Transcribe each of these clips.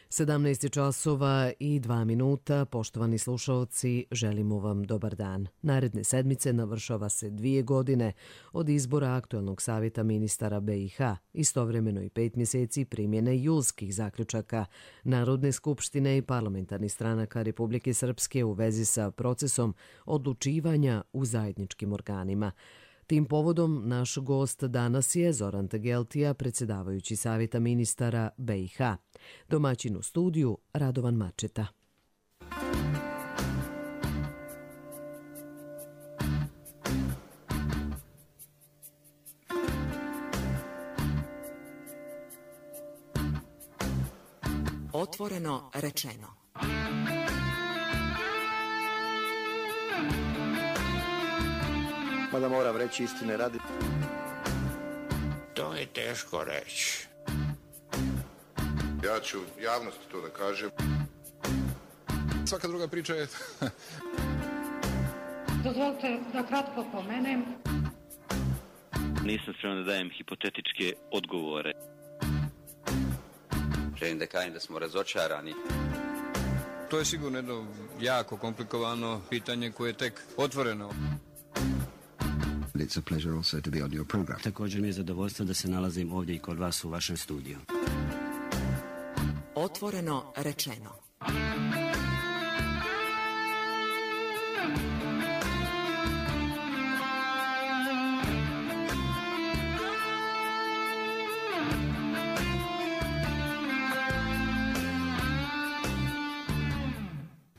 17 časova i 2 minuta, poštovani slušalci, želimo vam dobar dan. Naredne sedmice navršava se 2 godine od izbora aktuelnog savjeta ministara BiH, istovremeno i 5 mjeseci primjene julskih zaključaka Narodne skupštine i parlamentarnih stranaka Republike Srpske u vezi sa procesom odlučivanja u zajedničkim organima. Tim povodom naš gost danas je Zoran Tegeltija, predsjedavajući savjeta ministara BiH. Domaćin u studiju Radovan Mačeta. Otvoreno rečeno. Mada moram reći istine radi. To je teško reći. Ja ću javnosti to da kažem. Svaka druga priča je... Dozvolite da kratko pomenem. Nisam spreman da dajem hipotetičke odgovore. Želim da kažem da smo razočarani. To je sigurno jedno jako komplikovano pitanje koje je tek otvoreno. It's a pleasure also to be on your program. Također mi je zadovoljstvo da se nalazim ovdje i kod vas u vašem studiju. Otvoreno rečeno.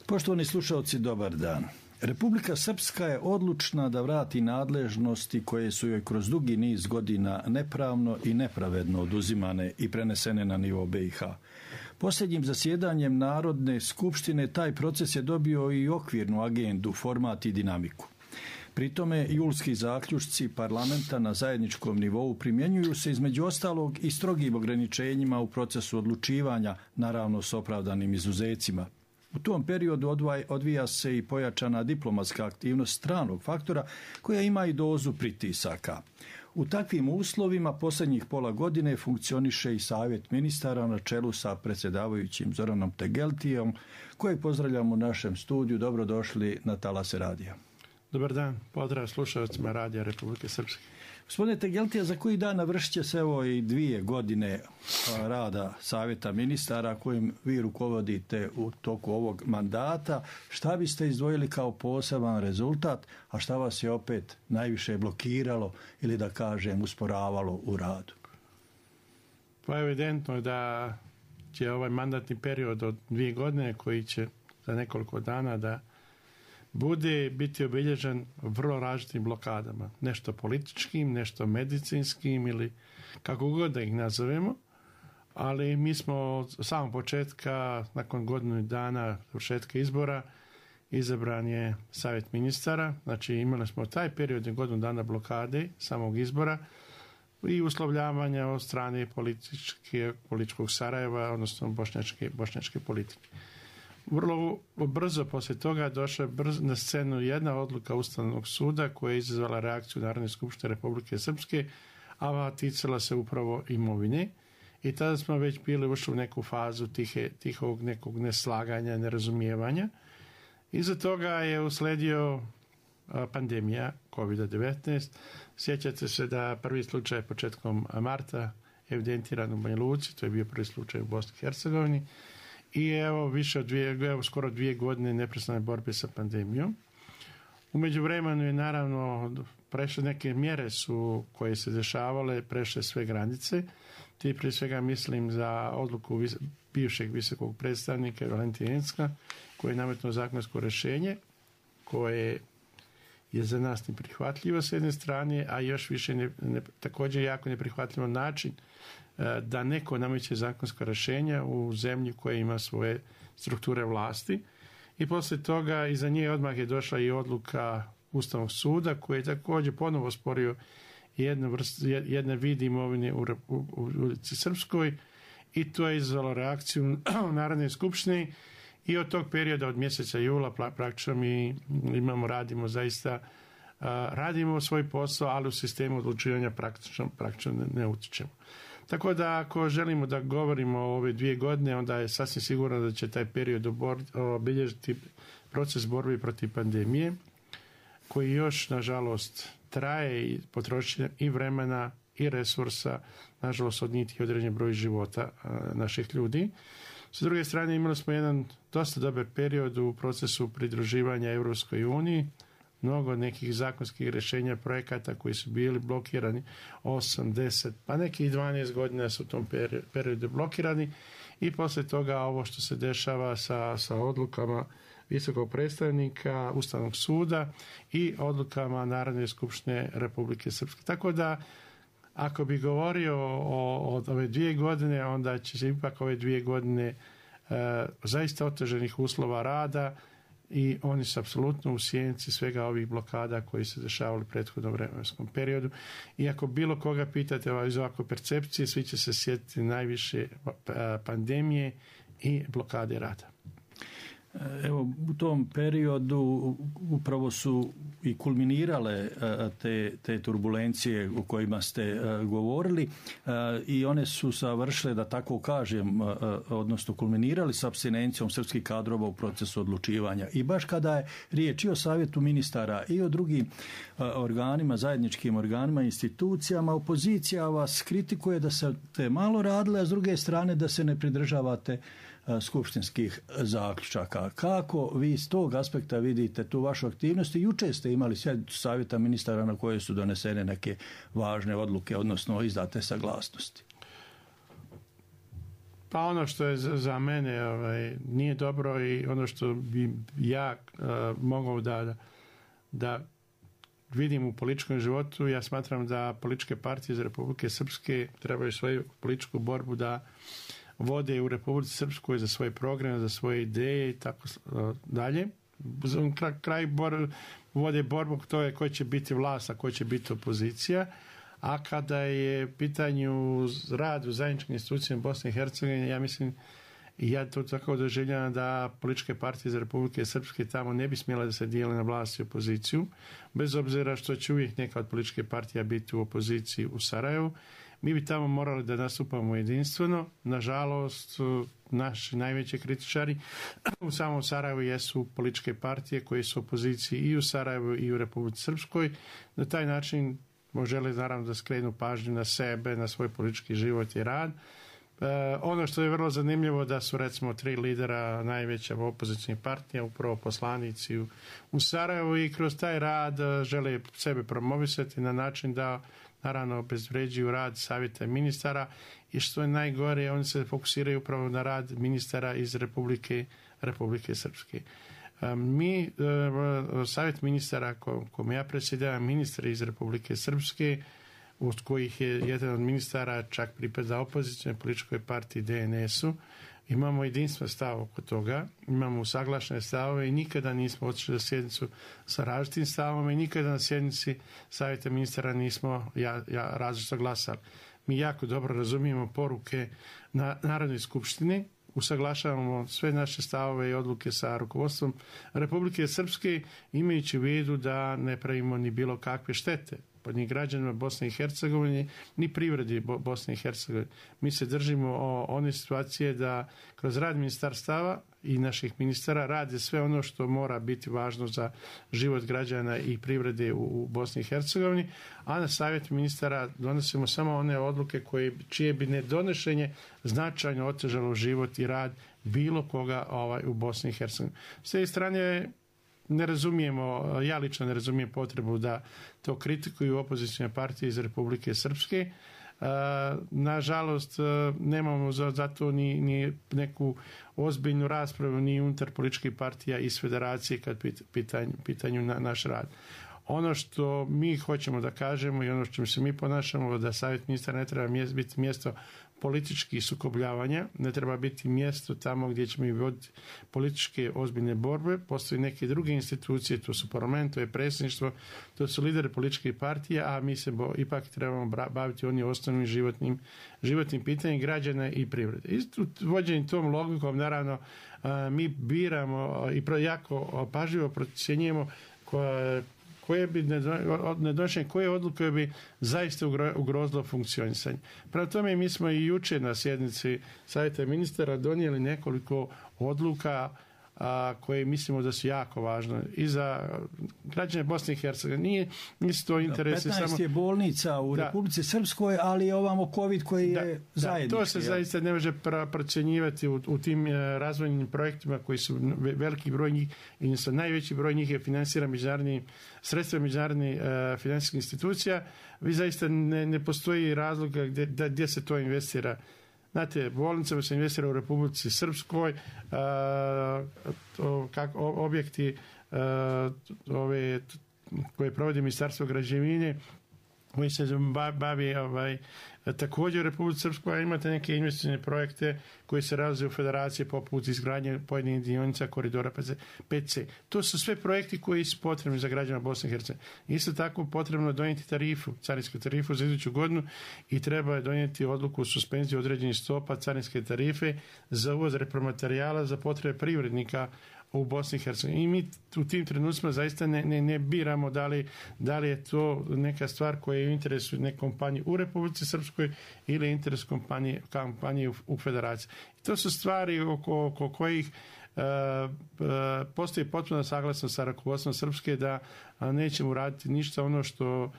Poštovani slušalci, dobar dan. Republika Srpska je odlučna da vrati nadležnosti koje su joj kroz dugi niz godina nepravno i nepravedno oduzimane i prenesene na nivo BiH. Posljednjim zasjedanjem Narodne skupštine taj proces je dobio i okvirnu agendu, format i dinamiku. Pri tome julski zaključci parlamenta na zajedničkom nivou primjenjuju se između ostalog i strogim ograničenjima u procesu odlučivanja, naravno s opravdanim izuzecima. U tom periodu odvija se i pojačana diplomatska aktivnost stranog faktora koja ima i dozu pritisaka. U takvim uslovima posljednjih pola godine funkcioniše i savjet ministara na čelu sa predsjedavajućim Zoranom Tegeltijom, kojeg pozdravljamo u našem studiju. Dobrodošli na talase radija. Dobar dan, pozdrav slušalcima Radija Republike Srpske. Gospodine Tegeltija, za koji dan navršit će se evo i 2 godine rada savjeta ministara kojim vi rukovodite u toku ovog mandata. Šta biste izdvojili kao poseban rezultat, a šta vas je opet najviše blokiralo ili da kažem usporavalo u radu? Pa evidentno je da će ovaj mandatni period od 2 godine koji će za nekoliko dana da biti obilježen vrlo različitim blokadama. Nešto političkim, nešto medicinskim ili kako god da ih nazovemo, ali mi smo od samog početka, nakon godinu dana završetka izbora, izabran je savjet ministara, znači imali smo taj period i godinu dana blokade samog izbora i uslovljavanja od strane političkog Sarajeva, odnosno bošnjačke politike. Vrlo brzo poslije toga došla na scenu jedna odluka Ustavnog suda koja je izazvala reakciju Narodne skupštine Republike Srpske, a ticala se upravo imovine. I tada smo već bili ušli u neku fazu tihog nekog neslaganja, nerazumijevanja. Iza toga je usledio pandemija COVID-19. Sjećate se da prvi slučaj početkom marta evidentiran u Banja Luci, to je bio prvi slučaj u Bosni i Hercegovini. I evo skoro 2 godine neprestane borbe sa pandemijom. U međuvremenu je naravno prešle neke mjere su koje se dešavale, prešle sve granice. Ti prije svega mislim za odluku bivšeg visokog predstavnika Valentina Incka koji je nametnuo zakonsko rješenje koje je za nas neprihvatljivo s jedne strane, a još više također jako neprihvatljivo način da neko nameće zakonska rješenja u zemlji koja ima svoje strukture vlasti. I poslije toga iza nje odmah je došla i odluka Ustavnog suda koji je također ponovo sporio jedne vid imovine u Republici Srpskoj i to je izazvalo reakciju Narodne skupštine i od tog perioda od mjeseca jula praktično mi radimo svoj posao, ali u sistemu odlučivanja praktično ne utječemo. Tako da ako želimo da govorimo o ove 2 godine, onda je sasvim sigurno da će taj period obilježiti proces borbe protiv pandemije, koji još, nažalost, traje i potroši i vremena i resursa, nažalost, odnijeti određen broj života naših ljudi. S druge strane, imali smo jedan dosta dobar period u procesu pridruživanja Europskoj uniji, mnogo nekih zakonskih rješenja, projekata koji su bili blokirani 8, 10, pa nekih 12 godina su u tom periodu blokirani i poslije toga ovo što se dešava sa odlukama visokog predstavnika Ustavnog suda i odlukama Narodne skupštine Republike Srpske. Tako da, ako bi govorio o ove 2 godine, onda će se ipak ove 2 godine zaista oteženih uslova rada i oni su apsolutno u sjenci svega ovih blokada koji se dešavali u prethodnom vremenskom periodu. I ako bilo koga pitate iz ovakve percepcije, svi će se sjetiti najviše pandemije i blokade rada. Evo, u tom periodu upravo su i kulminirale te turbulencije o kojima ste govorili i one su završile, da tako kažem, odnosno kulminirali s apstinencijom srpskih kadrova u procesu odlučivanja. I baš kada je riječ i o savjetu ministara i o drugim organima, zajedničkim organima, institucijama, opozicija vas kritikuje da ste malo radili, a s druge strane da se ne pridržavate skupštinskih zaključaka. Kako vi s tog aspekta vidite tu vašu aktivnost? Jučer ste imali sjednicu savjeta ministara na kojoj su donesene neke važne odluke, odnosno izdate saglasnosti. Pa ono što je za mene nije dobro i ono što bi ja mogao da vidim u političkom životu, ja smatram da političke partije iz Republike Srpske trebaju svoju političku borbu da vode u Republici Srpskoj za svoje programe, za svoje ideje i tako dalje. Kraj vode borbu, to je ko će biti vlast, a ko će biti opozicija. A kada je pitanju rad u zajedničkim institucijama Bosne i Hercegovine, ja mislim, i ja to tako doživljavam, da političke partije iz Republike Srpske tamo ne bi smjela da se dijele na vlast i opoziciju, bez obzira što će uvijek neka od političke partija biti u opoziciji u Sarajevu. Mi bi tamo morali da nastupamo jedinstveno. Nažalost, naši najveći kritičari u samom Sarajevu jesu političke partije koje su u opoziciji i u Sarajevu i u Republici Srpskoj. Na taj način žele naravno da skrenu pažnju na sebe, na svoj politički život i rad. Ono što je vrlo zanimljivo da su recimo 3 lidera najveća opozicijnih partija upravo poslanici u Sarajevu i kroz taj rad žele sebe promovisati na način da naravno obezvređuju rad savjeta ministara i što je najgore, oni se fokusiraju upravo na rad ministara iz Republike Srpske. Mi, savjet ministara kome ja predsjedavam, ministri iz Republike Srpske, od kojih je jedan od ministara čak pripada opozicijnoj političkoj partiji DNS-u, imamo jedinstven stav oko toga, imamo usaglašene stavove i nikada nismo otišli na sjednicu sa različitim stavom i nikada na sjednici savjeta ministara nismo različito glasali. Mi jako dobro razumijemo poruke na Narodnoj skupštini, usaglašavamo sve naše stavove i odluke sa rukovodstvom Republike Srpske, imajući u vidu da ne pravimo ni bilo kakve štete ni građanima Bosne i Hercegovine, ni privredi Bosne i Hercegovine. Mi se držimo one situacije da kroz rad ministarstava i naših ministara rade sve ono što mora biti važno za život građana i privrede u Bosni i Hercegovini, a na savjet ministara donosimo samo one odluke čije bi nedonošenje značajno otežalo život i rad bilo koga u Bosni i Hercegovini. S te strane ne razumijemo, ja lično ne razumijem potrebu da to kritikuju opozicijne partije iz Republike Srpske. Nažalost, nemamo za to ni neku ozbiljnu raspravu ni unutar političkih partija iz federacije kad pitanju naš rad. Ono što mi hoćemo da kažemo i ono što se mi ponašamo, da savjet ministara ne treba biti mjesto političkih sukobljavanja, ne treba biti mjesto tamo gdje ćemo i voditi političke ozbiljne borbe. Postoje neke druge institucije, to su parlament, to je predsjedništvo, to su lideri političkih partija, a mi se ipak trebamo baviti onim osnovnim životnim pitanjem građana i privrede. Isto vođenjem tom logikom, naravno, mi biramo i jako pažljivo procjenjujemo koje odluke bi zaista ugrozilo funkcionisanje. Prema tome mi smo i jučer na sjednici Savjeta ministara donijeli nekoliko odluka koje mislimo da su jako važne i za građane Bosne i Hercegovine. Nisu to interesi 15 samo... je bolnica u Republici Srpskoj, ali je ovamo COVID koji je zajednički. To se zaista ne može procjenjivati u tim razvojnim projektima koji su veliki broj njih, odnosno najveći broj njih je financiran sredstva međunarodnih financijskih institucija. Vi zaista ne postoji razlog gdje se to investira. Znate, bolnicama se investira u Republici Srpskoj, objekti koje provodi Ministarstvo građevine, koji se bavi također u Republici Srpskoj, a imate neke investicione projekte koji se realizuju u federaciji poput izgradnje pojedinih dionica koridora PC. To su sve projekti koji su potrebni za građana Bosne i Hercegovine. Isto tako potrebno donijeti carinsku tarifu za iduću godinu i treba donijeti odluku o suspenziji određenih stopa carinske tarife za uvoz repromaterijala za potrebe privrednika u Bosni i Hercegovini. I mi u tim trenucima zaista ne biramo da li je to neka stvar koja je u interesu neke kompanije u Republici Srpskoj ili interes kompanije u Federaciji. I to su stvari oko kojih postoji potpuno saglasnost sa rukovodstvom Srpske da nećemo raditi ništa ono što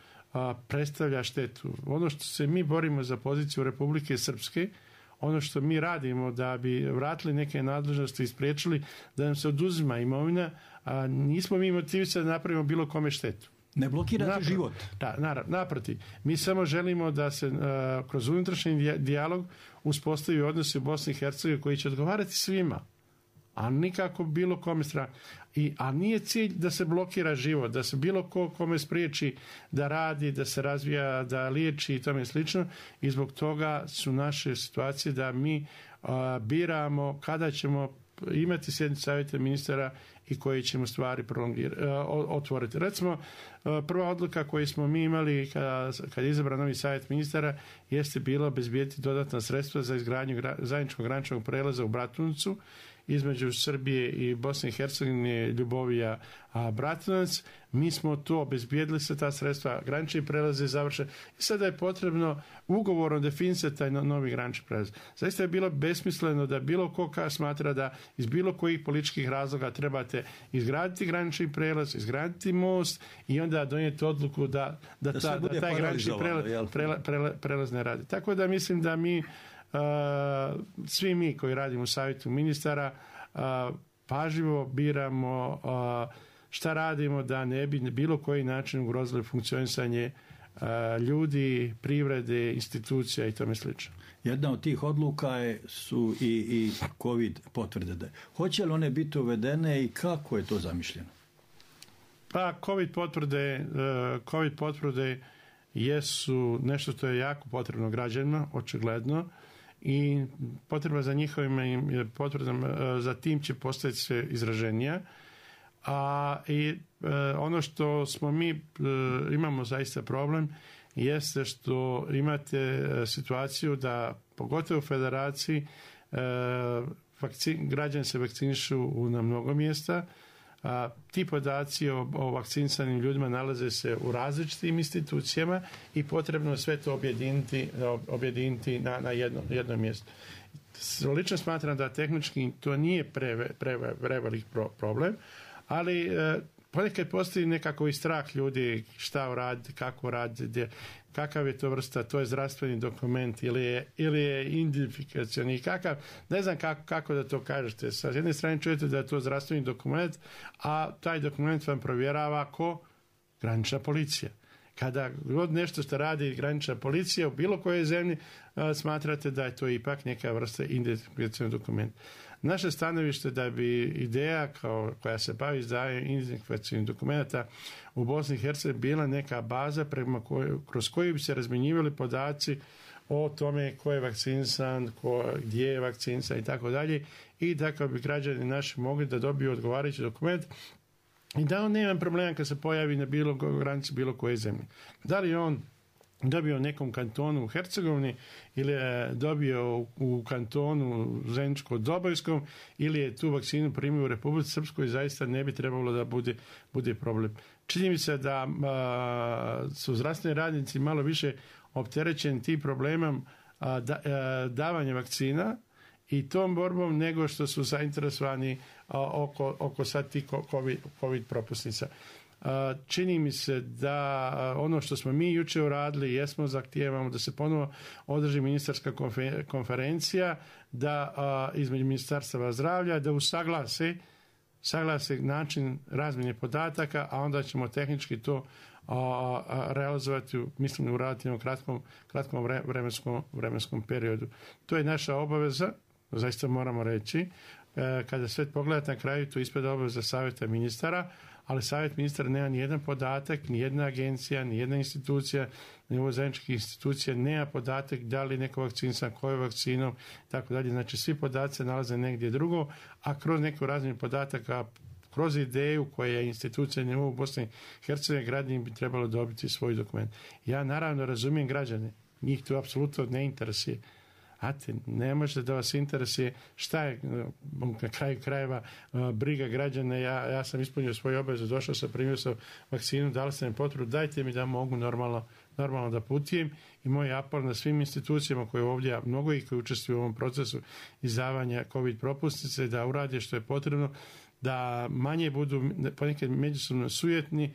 predstavlja štetu. Ono što se mi borimo za poziciju Republike Srpske, ono što mi radimo da bi vratili neke nadležnosti i spriječili da nam se oduzima imovina, a nismo mi motivisani da napravimo bilo kome štetu. Ne blokirate život. Da, naprotiv. Mi samo želimo da se kroz unutrašnji dijalog uspostavi odnosi u Bosni i Hercegovini koji će odgovarati svima, a nikako bilo kome strane. A nije cilj da se blokira život, da se bilo kome spriječi da radi, da se razvija, da liječi i tome slično. I zbog toga su naše situacije da mi biramo kada ćemo imati sjednicu Savjeta ministara i koji ćemo stvari otvoriti. Recimo, prva odluka koju smo mi imali kad je izabran novi Savjet ministara jeste bilo obezbijediti dodatna sredstva za izgradnju zajedničkog graničnog prelaza u Bratunacu između Srbije i Bosne i Hercegovine, Ljubovija, Bratunac. Mi smo to obezbijedili sa ta sredstva, granični prelaz je završen i sada je potrebno ugovorom definisati taj novi granični prelaz. Zaista je bilo besmisleno da bilo ko smatra da iz bilo kojih političkih razloga trebate izgraditi granični prelaz, izgraditi most i onda donijeti odluku da taj granični prelaz ne radi. Tako da mislim da mi svi mi koji radimo u Savjetu ministara pažljivo biramo šta radimo da ne bi na bilo koji način ugrozili funkcionisanje ljudi, privrede, institucija i tome slično. Jedna od tih odluka su i COVID potvrde. Hoće li one biti uvedene i kako je to zamišljeno? Pa COVID potvrde jesu nešto što je jako potrebno građanima, očigledno, i potreba za njihovim potvrdama za tim će postati sve izraženija. I ono što smo mi imamo zaista problem jeste što imate situaciju da pogotovo u Federaciji građani se vakcinišu na mnogo mjesta. Ti podaci o vakcinisanim ljudima nalaze se u različitim institucijama i potrebno sve to objediniti na jedno mjesto. Lično smatram da tehnički to nije prevelik problem, ali ponekad postoji nekako i strah ljudi šta uraditi, kako uraditi, kakav je to vrsta, to je zdravstveni dokument ili je identifikacioni, kakav, ne znam kako da to kažete. Sa jedne strane čujete da je to zdravstveni dokument, a taj dokument vam provjerava granična policija. Kada god nešto što radi granična policija u bilo kojoj zemlji, smatrate da je to ipak neka vrsta identifikacioni dokument. Naše stanovište da bi ideja koja se bavi izdavanjem identifikacijnih dokumenta u Bosni i Hercegovini bila neka baza kroz koju bi se razmjenjivali podaci o tome ko je vakcinisan, gdje je vakcinisan i tako dalje, i da bi građani naši mogli da dobiju odgovarajući dokument i da on nema problema kad se pojavi na granici bilo koje zemlje. Da li on dobio u nekom kantonu u Hercegovini ili je dobio u kantonu Zeničko-Dobojskom ili je tu vakcinu primio u Republici Srpskoj, zaista ne bi trebalo da bude problem. čini mi se da su zdravstveni radnici malo više opterećeni tim problemom davanja vakcina i tom borbom nego što su zainteresovani oko sad tih COVID propusnica. Čini mi se da ono što smo mi jučer uradili, jesmo zahtijevamo da se ponovo održi ministarska konferencija, da između ministarstava zdravlja, da usaglase način razmjene podataka, a onda ćemo tehnički to realizovati, mislim, u relativno kratkom vremenskom periodu. To je naša obaveza, zaista moramo reći. Kada sve pogledate na kraju, to ispada obaveza savjeta ministara, ali savjet ministara nema ni jedan podatak, ni jedna agencija, ni jedna institucija, nivo zajedničkih institucija nema podatak da li neko vakcinisan, kojom vakcinom, tako dalje. Znači, svi podaci se nalaze negdje drugo, a kroz neku razmjenu podataka, kroz ideju koja je institucija nivo u Bosni i Hercegovini, građani bi trebalo dobiti svoj dokument. Ja naravno razumijem građane, njih to apsolutno ne interesuje. Znate, ne možete da vas interesuje šta je na kraju krajeva briga građana. Ja sam ispunio svoju obavezu, došao sam, primio sam vakcinu, dali sam im potvrdu, dajte mi da mogu normalno da putujem, i moj apel na svim institucijama koje ovdje, mnogo ih koji učestvuju u ovom procesu izdavanja COVID propusnice, da urade što je potrebno, da manje budu ponekad međusobno sujetni,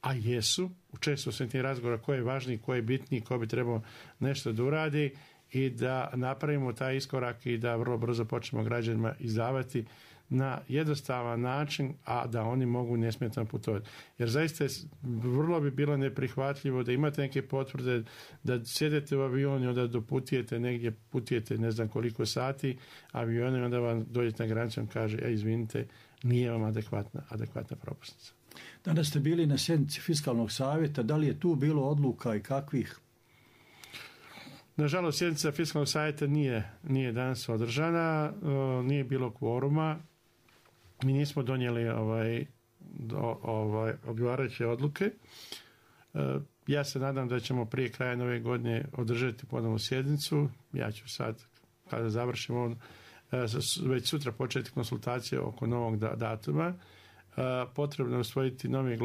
a jesu, često sam tim razgovora ko je važniji, ko je bitniji, ko bi trebao nešto da uradi, i da napravimo taj iskorak i da vrlo brzo počnemo građanima izdavati na jednostavan način, a da oni mogu nesmetano putovati. Jer zaista vrlo bi bilo neprihvatljivo da imate neke potvrde, da sjedete u avion i onda doputujete negdje, putujete ne znam koliko sati aviona i onda vam dođete na granicu i kaže, izvinite, nije vam adekvatna propusnica. Danas ste bili na sjednici Fiskalnog savjeta, da li je tu bilo odluka i kakvih? Nažalost, sjednica Fiskalnog savjeta nije danas održana, nije bilo kvoruma, mi nismo donijeli odgovarajuće odluke. Ja se nadam da ćemo prije kraja nove godine održati ponovnu sjednicu. Ja ću sad, kada završimo, već sutra početi konsultacije oko novog datuma. Potrebno je usvojiti novi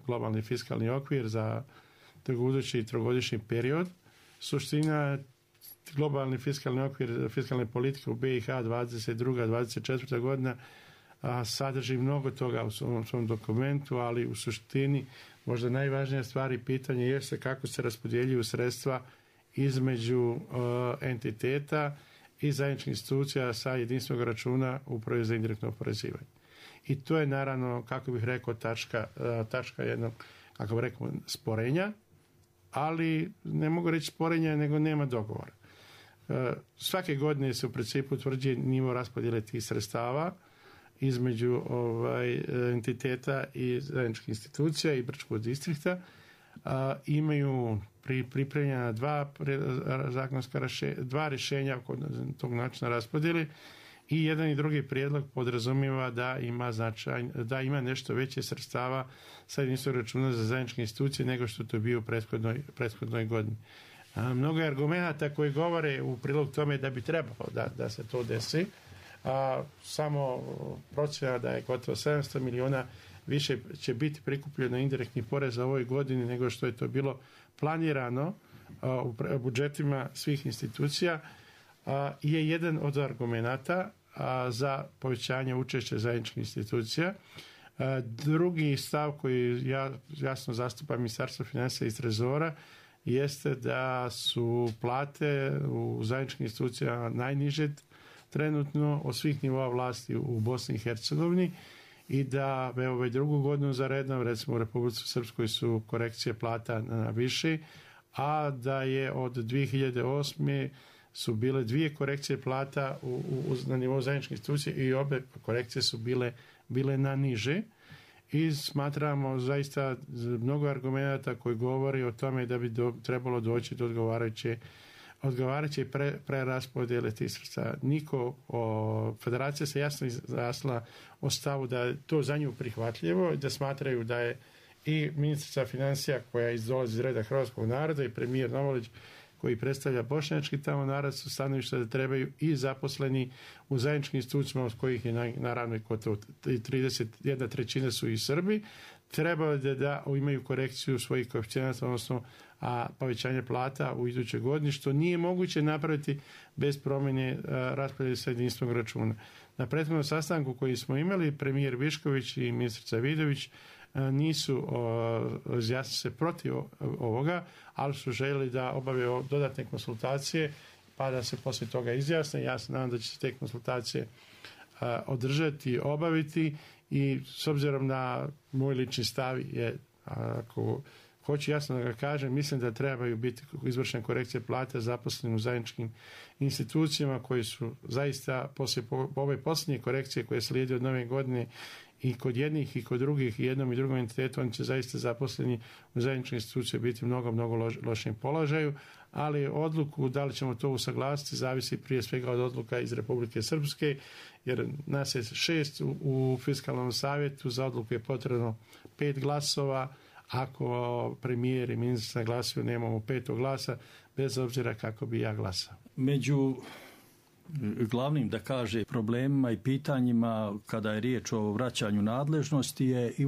globalni fiskalni okvir za budući trogodišnji period. Suština, globalni fiskalni okvir fiskalne politike u BiH 22-24 godina sadrži mnogo toga u svom dokumentu, ali u suštini možda najvažnija stvar i pitanje jeste kako se raspodjeljuju sredstva između entiteta i zajedničkih institucija sa jedinstvenog računa Uprave za indirektno oporezivanje. I to je naravno, kako bih rekao, tačka jednog, kako bih rekao, sporenja, ali ne mogu reći sporenja, nego nema dogovora. Svake godine se u principu utvrđuje nivo raspodjele tih sredstava između entiteta i zajedničkih institucija i Brčkog distrikta. Imaju pripremljena dva rješenja kod tog načina raspodjele i jedan i drugi prijedlog podrazumijeva da ima nešto veće sredstava sa jedinstvenog računa za zajedničke institucije nego što to bio u prethodnoj godini. Mnogo je argumenata koji govore u prilog tome da bi trebalo da se to desi. Samo procjena da je gotovo 700 miliona više će biti prikupljeno indirektnih poreza u ovoj godini nego što je to bilo planirano u budžetima svih institucija, je jedan od argumenata za povećanje učešća zajedničkih institucija. Drugi stav koji ja jasno zastupam Ministarstvo financija i Trezora jeste da su plate u zajedničkim institucijama najniže trenutno od svih nivoa vlasti u Bosni i Hercegovini i da već drugu godinu za redom, recimo u Republici Srpskoj su korekcije plata na više, a da je od 2008. su bile 2 korekcije plata na nivou zajedničke institucije i obe korekcije su bile na niže. I smatramo zaista mnogo argumenata koji govori o tome da bi trebalo doći do odgovarajuće preraspodjele tih sredstava. Federacija se jasno izjasnila o stavu da je to za nju prihvatljivo i da smatraju da je i ministrica financija koja dolazi iz reda hrvatskog naroda i premijer Novolić koji predstavlja bošnjački tamo narod su stanovišta da trebaju i zaposleni u zajedničkim institucijama od kojih je naravno i gotovo 31% su i Srbi, trebalo da imaju korekciju svojih koeficijenata, odnosno povećanje plata u idućoj godini, što nije moguće napraviti bez promjene raspodjele sa jedinstvenog računa. Na prethodnom sastanku koji smo imali, premijer Višković i ministrica Vidović nisu izjasnili se protiv ovoga, ali su željeli da obave dodatne konsultacije pa da se poslije toga izjasne. Ja se nadam da će se te konsultacije održati, obaviti i s obzirom na moj lični stav je, ako hoću jasno da ga kažem, mislim da trebaju biti izvršene korekcije plate zaposlenim u zajedničkim institucijama koji su zaista poslije ove posljednje korekcije koje slijede od nove godine i kod jednih i kod drugih i jednom i drugom entitetu, oni će zaista zaposleni u zajedničkoj instituciji biti mnogo lošem položaju, ali odluku da li ćemo to usaglasiti zavisi prije svega od odluka iz Republike Srpske, jer nas je 6 u fiskalnom savjetu, za odluku je potrebno 5 glasova, ako premijer i ministar glasuju nemamo 5 glasa, bez obzira kako bi ja glasao. Među glavnim, da kaže, problemima i pitanjima kada je riječ o vraćanju nadležnosti je i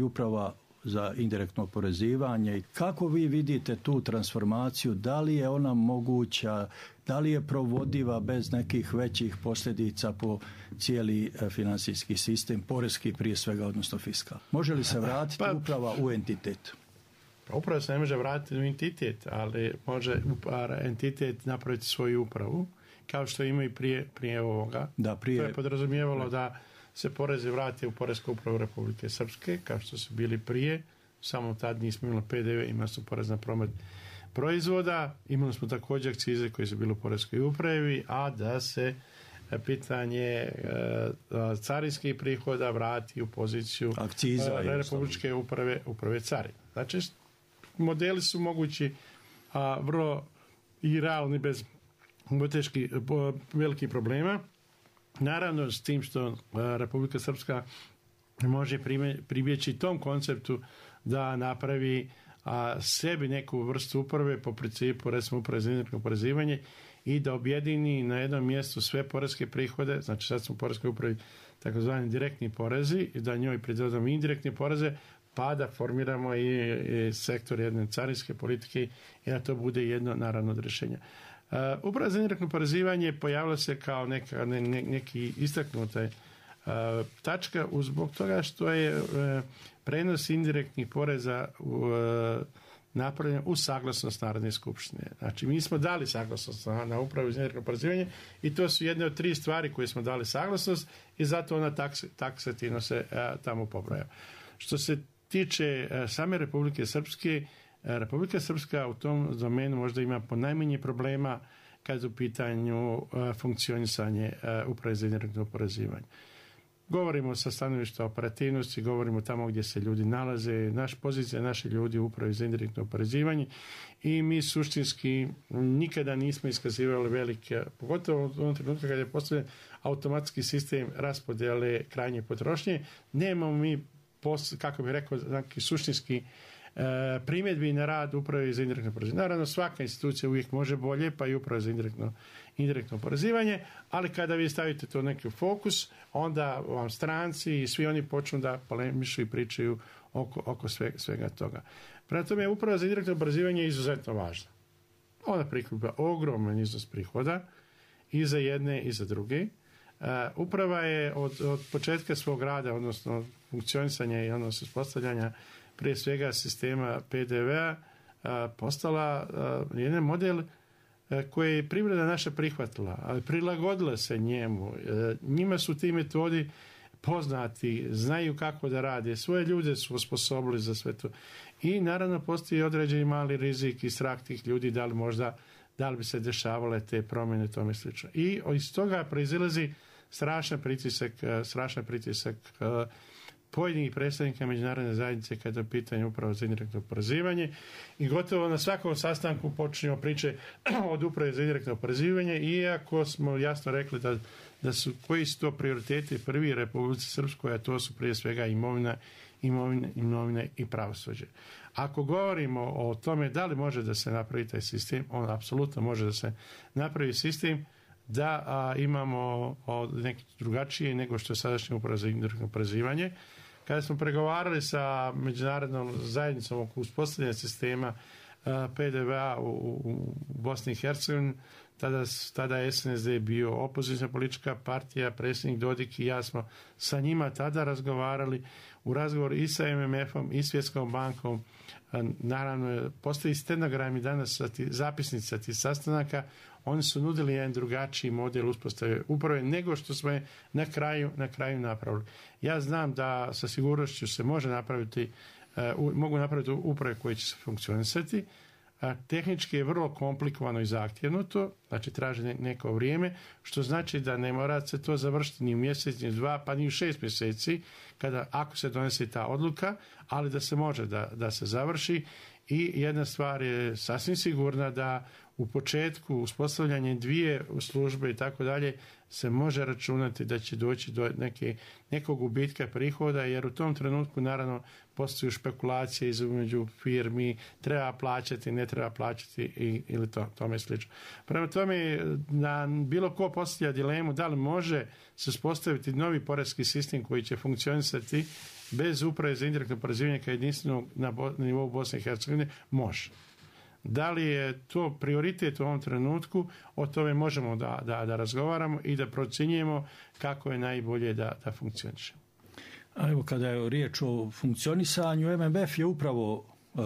uprava za indirektno oporezivanje. Kako vi vidite tu transformaciju? Da li je ona moguća? Da li je provodiva bez nekih većih posljedica po cijeli financijski sistem, poreski prije svega, odnosno fiskal? Može li se vratiti uprava u entitet? Uprava se ne može vratiti u entitet, ali može entitet napraviti svoju upravu, kao što ima i prije ovoga. To je podrazumijevalo da se porezi vrate u Poresku upravu Republike Srpske, kao što su bili prije, samo tad nismo imali PDV, imali smo porez na promet proizvoda, imali smo također akcize koje su bile u Poreskoj upravi, a da se pitanje carinskih prihoda vrati u poziciju akciza Republičke uprave carina. Znači, modeli su mogući, vrlo i realni bez velikih problema. Naravno, s tim što Republika Srpska može pribjeći tom konceptu da napravi sebi neku vrstu uprave po principu, recimo uprave za indirektno oporezivanje, i da objedini na jednom mjestu sve poreske prihode, znači sad smo u poreskoj upravi takozvani direktni porezi, i da njoj pridodamo indirektne poreze, pa da formiramo i sektor jedne carinske politike i da to bude jedno naravno od rješenja. Uprava za indirektno oporezivanje pojavila se kao neki istaknuta tačka zbog toga što je prenos indirektnih poreza napravljen u saglasnost Narodne skupštine. Znači, mi smo dali saglasnost na upravu za indirektno oporezivanje i to su jedne od 3 stvari koje smo dali saglasnost i zato ona taksativno se tamo pobraja. Što se tiče same Republike Srpske, Republika Srpska u tom domenu možda ima ponajmanje problema kad je u pitanju funkcionisanje uprave za indirektno oporezivanje. Govorimo sa stanovišta operativnosti, govorimo tamo gdje se ljudi nalaze, pozicija naših ljudi u upravi za indirektno oporezivanje i mi suštinski nikada nismo iskazivali velike, pogotovo u onom trenutku kada je postavljen automatski sistem raspodjele krajnje potrošnje, nemamo mi, kako bih rekao, suštinski primjedbi na rad uprave za indirektno oporezivanje. Naravno, svaka institucija uvijek može bolje, pa i uprava za indirektno oporezivanje, ali kada vi stavite to neki fokus, onda vam stranci i svi oni počnu da polemišu i pričaju oko svega toga. Prema tome, uprava za indirektno oporezivanje je izuzetno važna. Ona prikuplja ogroman iznos prihoda i za jedne i za druge. Uprava je od početka svog rada, odnosno funkcionisanja i odnosno uspostavljanja prije svega sistema PDV-a postala jedan model koji je privreda naša prihvatila, ali prilagodila se njemu. Njima su ti metodi poznati, znaju kako da rade, svoje ljude su osposobili za sve to. I naravno postoji određeni mali rizik i strah tih ljudi da li bi se dešavale te promjene i tome slično. I iz toga proizilazi strašan pritisak pojedinih predstavnika međunarodne zajednice kada je pitanje upravo za indirektno oporezivanje i gotovo na svakom sastanku počinjemo priče od uprave za indirektno oporezivanje, iako smo jasno rekli da su koji su to prioriteti prvi Republici Srpskoj, a to su prije svega imovina i pravosuđe. Ako govorimo o tome da li može da se napravi taj sistem, on apsolutno može da se napravi sistem da imamo neki drugačije nego što je sadašnja uprava za indirektno oporezivanje, Kada smo pregovarali sa međunarodnom zajednicom oko uspostavljanja sistema PDV-a u Bosni i Hercegovini, tada je SNSD bio opozicijna politička partija, predsjednik Dodik i ja smo sa njima tada razgovarali u razgovoru i sa MMF-om i Svjetskom bankom. Naravno, postoji stenogrami danas, zapisnica tih sastanaka, oni su nudili jedan drugačiji model uspostave uprave nego što smo je na kraju napravili. Ja znam da sa sigurnošću se mogu napraviti uprave koje će se funkcionisati. Tehnički je vrlo komplikovano i zahtjevno to, znači traži neko vrijeme, što znači da ne mora se to završiti ni u mjesec, ni u 2, pa ni u 6 mjeseci, ako se donese ta odluka, ali da se može da se završi. I jedna stvar je sasvim sigurna, da u početku uspostavljanje 2 službe i tako dalje se može računati da će doći do nekog gubitka prihoda, jer u tom trenutku naravno postoji špekulacije između firmi, treba plaćati, ne treba plaćati ili tome slično. Prema tome, na bilo ko postavlja dilemu da li može se uspostaviti novi poreski sistem koji će funkcionisati bez uprave za indirektno oporezivanje kao jedinstvenog na nivou Bosne i Hercegovine, može. Da li je to prioritet u ovom trenutku, o tome možemo da razgovaramo i da procjenjujemo kako je najbolje da funkcioniše. A evo, kada je riječ o funkcionisanju, MMF je upravo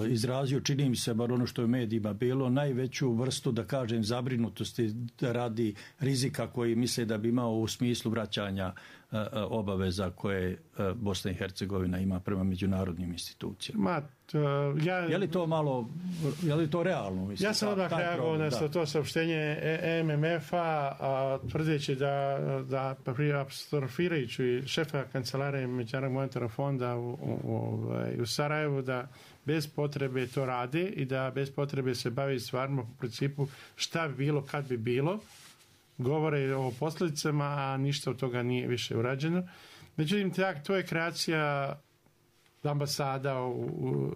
izrazio, čini mi se, bar ono što je u medijima bilo, najveću vrstu, da kažem, zabrinutosti radi rizika koji misle da bi imao u smislu vraćanja obaveza koje Bosna i Hercegovina ima prema međunarodnim institucijama. Je li to realno? Mislim, ja sam odmah reagovao na to saopštenje MMF-a, tvrdeći da apostrofirajući šefa kancelarije Međunarodnog monetarnog fonda u Sarajevu, da bez potrebe to rade i da bez potrebe se bavi stvarno po principu šta bi bilo kad bi bilo. Govore o posljedicama, a ništa od toga nije više urađeno. Međutim, to je kreacija ambasada u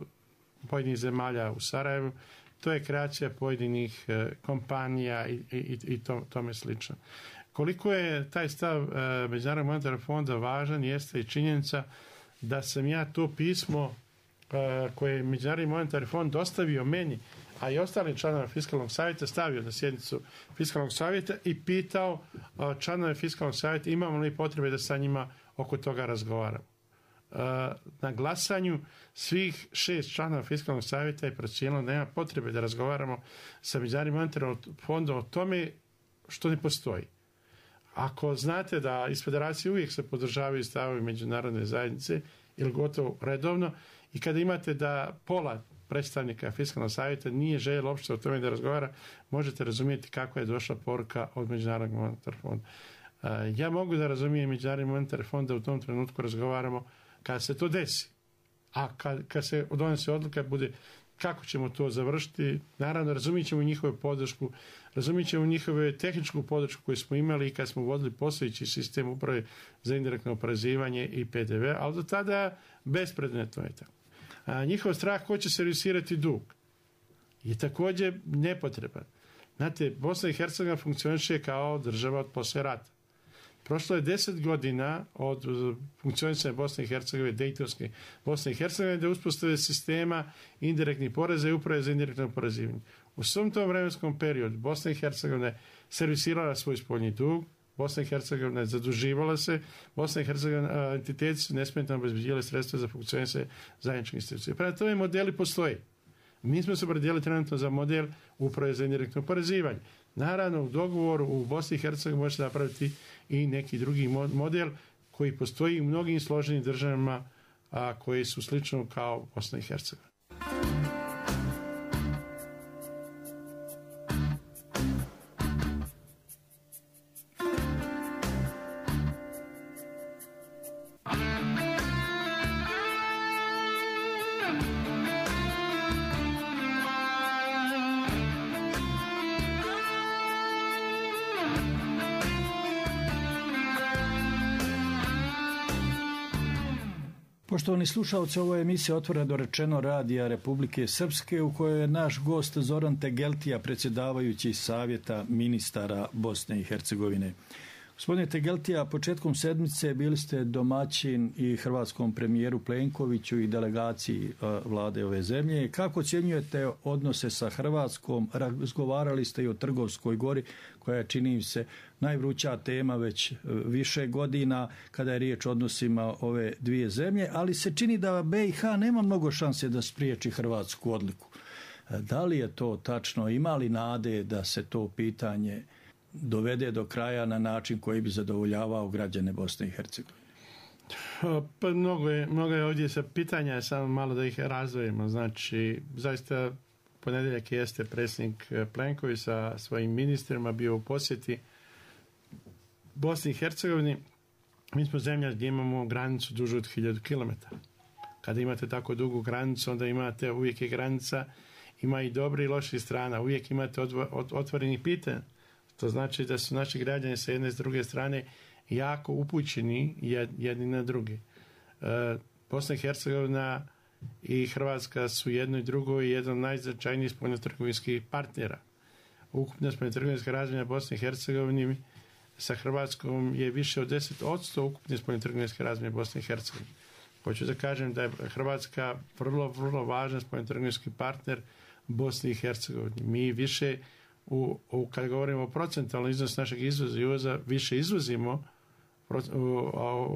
pojedinih zemalja u Sarajevu, to je kreacija pojedinih kompanija i tome slično. Koliko je taj stav Međunarodnog monetarnog fonda važan, jeste i činjenica da sam ja to pismo koje je Međunarodni monetarni fond dostavio meni, a i ostalim članova Fiskalnog savjeta, stavio na sjednicu Fiskalnog savjeta i pitao članove Fiskalnog savjeta imamo li potrebe da sa njima oko toga razgovaramo. Na glasanju svih 6 članova Fiskalnog savjeta je procijenilo da nema potrebe da razgovaramo sa Međunarodnim monetarnim fondom o tome što ne postoji. Ako znate da iz federacije uvijek se podržavaju stavovi međunarodne zajednice ili gotovo redovno, i kada imate da pola predstavnika Fiskalnog savjeta nije željelo uopšte o tome da razgovara, možete razumjeti kako je došla poruka od Međunarodnog monetarnog fonda. Ja mogu da razumijem Međunarodni monetarni fond da u tom trenutku razgovaramo kada se to desi. A kad se donese odluka bude kako ćemo to završiti, naravno razumit ćemo njihovu podršku, razumit ćemo njihovu tehničku podršku koju smo imali i kad smo vodili postojeći sistem uprave za indirektno oporezivanje i PDV, ali do tada bespredmetno je tako. Njihov strah ko će servisirati dug je također nepotreban. Znate, Bosna i Hercegovina funkcioniše kao država od poslije rata. Prošlo je 10 godina od funkcionisanja Bosne i Hercegovine, Dejtonske Bosne i Hercegovine, da uspostave sistema indirektnih poreza i uprave za indirektno oporezivanje. U svom tom vremenskom periodu Bosna i Hercegovina je servisirala svoj spoljni dug, Bosna i Hercegovina je zaduživala se, Bosna i Hercegovina entiteti su nesmetano obezbeđivali sredstva za funkcionisanje zajedničke institucije. Prema tome modeli postoje. Mi smo se opredijelili trenutno za model uprave za indirektno oporezivanje. Naravno, u dogovoru u Bosni i Hercegovini može se napraviti i neki drugi model koji postoji u mnogim složenim državama koji su slično kao Bosna i Hercegovina. Poštovani slušalci, ovo je emisija Otvoreno rečeno Radija Republike Srpske u kojoj je naš gost Zoran Tegeltija, predsjedavajući Savjeta ministara Bosne i Hercegovine. Gospodine Tegeltija, početkom sedmice bili ste domaćin i hrvatskom premijeru Plenkoviću i delegaciji vlade ove zemlje. Kako ocjenjujete odnose sa Hrvatskom? Razgovarali ste i o Trgovskoj gori, koja je, čini mi se, najvruća tema već više godina kada je riječ o odnosima ove dvije zemlje, ali se čini da BiH nema mnogo šanse da spriječi hrvatsku odluku. Da li je to tačno? Ima li nade da se to pitanje dovede do kraja na način koji bi zadovoljavao građane Bosne i Hercegovine? Pa mnogo je ovdje sa pitanja, samo malo da ih razdvojimo. Znači, zaista ponedjeljak jeste predsjednik Plenković sa svojim ministrima bio u posjeti Bosni i Hercegovini. Mi smo zemlja gdje imamo granicu dužu od 1000 km. Kada imate tako dugu granicu, onda imate, uvijek je granica, ima i dobri i loši strana, uvijek imate otvorenih pitanja. To znači da su naši građani sa jedne i s druge strane jako upućeni jedni na drugi. Bosna i Hercegovina i Hrvatska su jedno i drugo i jedan od najznačajnijih spoljnotrgovinskih partnera. Ukupna spoljnotrgovinska razmjena Bosne i Hercegovine sa Hrvatskom je više od 10% ukupne spoljnotrgovinske razmjene Bosne i Hercegovine. Hoću da kažem da je Hrvatska vrlo, vrlo važan spoljnotrgovinski partner Bosni i Hercegovini. Mi više kada govorimo o procentualnom iznosu našeg izvoza i uvoza, više izvozimo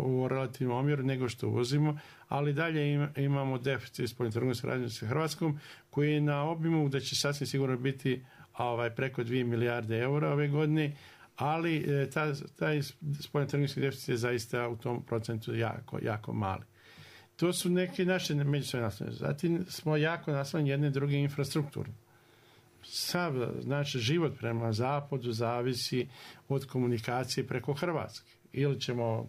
u relativnom omjeru nego što uvozimo, ali dalje imamo deficit spoljnotrgovinske razmjene sa Hrvatskom, koji je na obimu da će sasvim sigurno biti preko 2 milijarde eura ove godine, ali taj spoljnotrgovinski deficit je zaista u tom procentu jako, jako mali. To su neke naše međusobne naslonjene. Zatim smo jako naslonjeni jedne druge infrastrukture. Sav znači život prema zapadu zavisi od komunikacije preko Hrvatske. Ili ćemo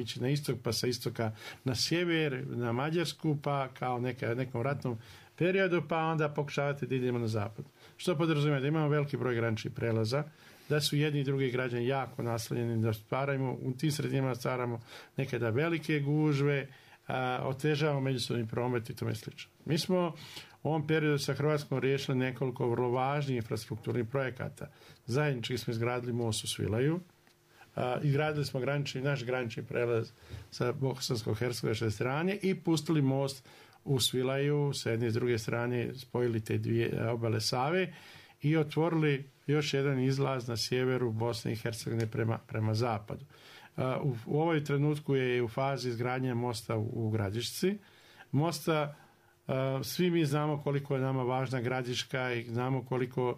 ići na istok, pa sa istoka na sjever, na Mađarsku, pa kao nekom ratnom periodu, pa onda pokušavati da idemo na zapad. Što podrazumijeva da imamo veliki broj graničnih prelaza, da su jedni i drugi građani jako naslonjeni, da u tim sredinama stvaramo nekada velike gužve, otežavamo međusobni promet i tome slično. Mi smo u ovom periodu sa Hrvatskom riješili nekoliko vrlo važnih infrastrukturnih projekata. Zajednički smo izgradili most u Svilaju, izgradili smo naš granični prelaz sa bosansko-hercegovačke strane i pustili most u Svilaju sa jedne i s druge strane, spojili te dvije obale Save i otvorili još jedan izlaz na sjeveru Bosne i Hercegovine prema zapadu. U ovoj trenutku je u fazi izgradnje mosta u Gradišci. Mosta, svi mi znamo koliko je nama važna Gradiška i znamo koliko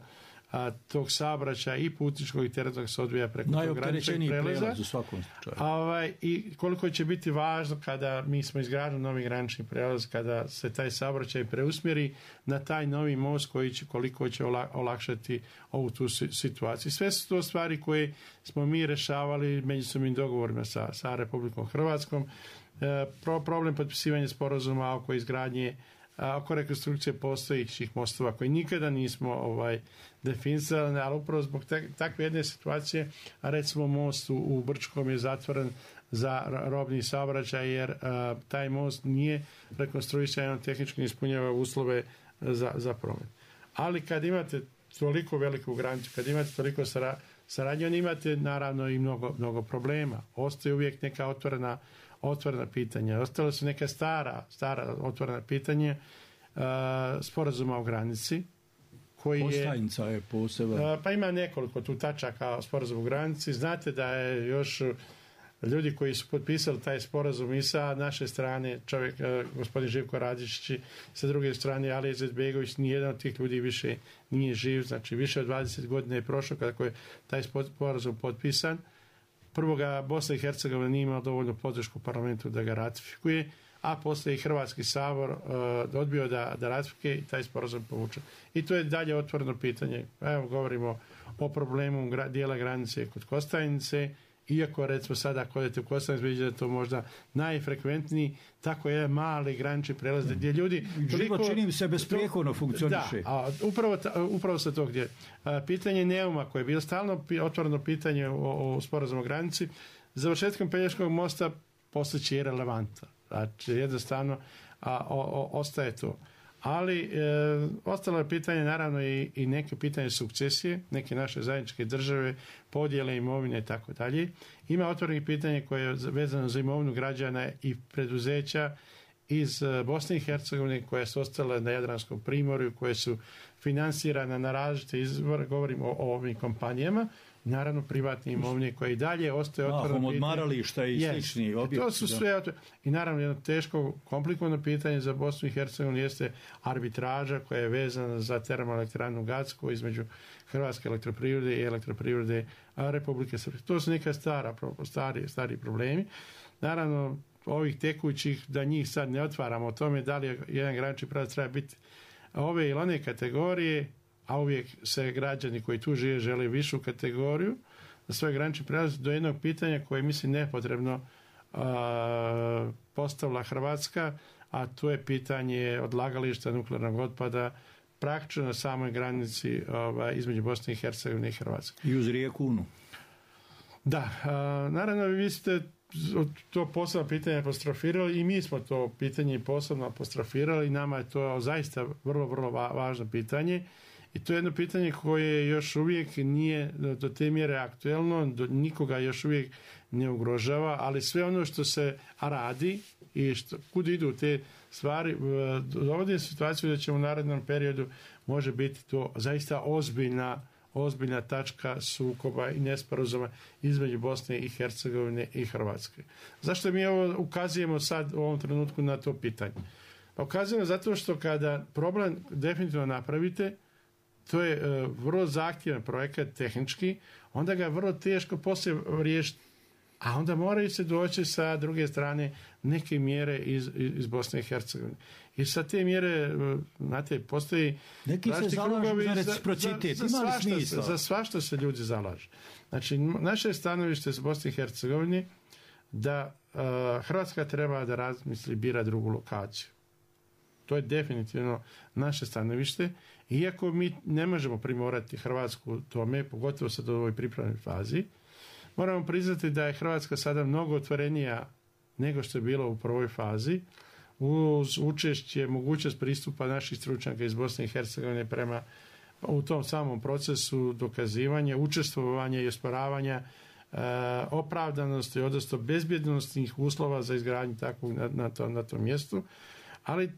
tog saobraćaja i putničkog i teretnog se odvija preko tog graničnog prelaza. U svakom slučaju. I koliko će biti važno kada mi smo izgradili novi granični prelaz, kada se taj saobraćaj preusmjeri na taj novi most koliko će olakšati ovu tu situaciju. Sve su to stvari koje smo mi rešavali međusobnim dogovorima sa Republikom Hrvatskom. Problem potpisivanja sporazuma oko izgradnje, oko rekonstrukcije postojećih mostova koji nikada nismo definisali, ali upravo zbog takve jedne situacije, a recimo most u Brčkom je zatvoren za robni saobraćaj jer taj most nije rekonstruisan, tehnički ispunjava uslove za promet. Ali kad imate toliko veliku granicu, kad imate toliko saradnje, onda imate naravno i mnogo problema. Ostaje uvijek neka otvorena pitanja. Ostale su neka stara otvorena pitanja sporazuma o granici. Kostajnica je poseban. Pa ima nekoliko tu tačaka sporazuma o granici. Znate da je još ljudi koji su potpisali taj sporazum i sa naše strane, gospodin Živko Radičić, sa druge strane Alija Izetbegović, nijedan od tih ljudi više nije živ. Znači više od 20 godina je prošlo kako je taj sporazum potpisan. Prvo ga Bosna i Hercegovina nije imala dovoljnu podršku u parlamentu da ga ratifikuje, a poslije i Hrvatski sabor odbio da ratifikuje i taj sporazum povuče. I to je dalje otvoreno pitanje. Evo govorimo o problemu dijela granice kod Kostajnice, iako recimo sada ako odete u Kostajnicu vidite da je to možda najfrekventniji, tako je mali granični prelaz gdje ljudi... Život čini mi se besprijekorno funkcioniše. Da, upravo sa tog gdje. Pitanje Neuma koje je bilo stalno otvoreno pitanje o sporazumu o granici, završetkom Pelješkog mosta postaće irelevantno. Znači jednostavno ostaje to. Ali ostalo je pitanje naravno i neke pitanje sukcesije, neke naše zajedničke države, podjele imovine i tako dalje. Ima otvorenih pitanje koje je vezano za imovinu građana i preduzeća iz Bosne i Hercegovine koje su ostale na Jadranskom primorju, koje su finansirane na različite izvore, govorimo o ovim kompanijama, naravno privatne imovine koje i dalje ostaje otvoreno pitanje. Odmarališta i slični objekti. To su sve i naravno jedno teško, komplikovano pitanje za Bosnu i Hercegovinu jeste arbitraža koja je vezana za termoelektranu Gacko između Hrvatske elektroprivrede i elektroprivrede Republike Srpske. To su neka stari problemi. Naravno, ovih tekućih, da njih sad ne otvaramo o tome da li jedan granični prelaz treba biti ove ili one kategorije, a uvijek se građani koji tu žive žele višu kategoriju za svoj granični prelaz, do jednog pitanja koje mislim nepotrebno postavila Hrvatska, a to je pitanje odlagališta nuklearnog otpada praktično na samoj granici između Bosne i Hercegovine i Hrvatske. I uz rijeku Unu. Da, naravno vi ste to posebno pitanje apostrofirali i mi smo to pitanje posebno apostrofirali i nama je to zaista vrlo, vrlo važno pitanje i to je jedno pitanje koje još uvijek nije do te mjere aktuelno, nikoga još uvijek ne ugrožava, ali sve ono što se radi i kud idu te stvari dovodi situaciju da će u narednom periodu može biti to zaista ozbiljna tačka sukoba i nesporazuma između Bosne i Hercegovine i Hrvatske. Zašto mi ovo ukazujemo sad u ovom trenutku na to pitanje? Pa ukazujemo zato što kada problem definitivno napravite, to je vrlo zahtjevan projekat tehnički, onda ga je vrlo teško poslije riješiti. A onda moraju se doći sa druge strane neke mjere iz Bosne i Hercegovine. I sa te mjere, znate, postoji neki se zalažu za reciprocitet. Za svašta se ljudi zalažu. Znači, naše stanovište s Bosne i Hercegovine da Hrvatska treba da razmisli, bira drugu lokaciju. To je definitivno naše stanovište. Iako mi ne možemo primorati Hrvatsku tome, pogotovo sad u ovoj pripremnoj fazi, moramo priznati da je Hrvatska sada mnogo otvorenija nego što je bilo u prvoj fazi, uz učešće, mogućnost pristupa naših stručnjaka iz Bosne i Hercegovine prema u tom samom procesu dokazivanja, učestvovanja i osporavanja opravdanosti, odnosno bezbjednostnih uslova za izgradnju takvog na tom mjestu. Ali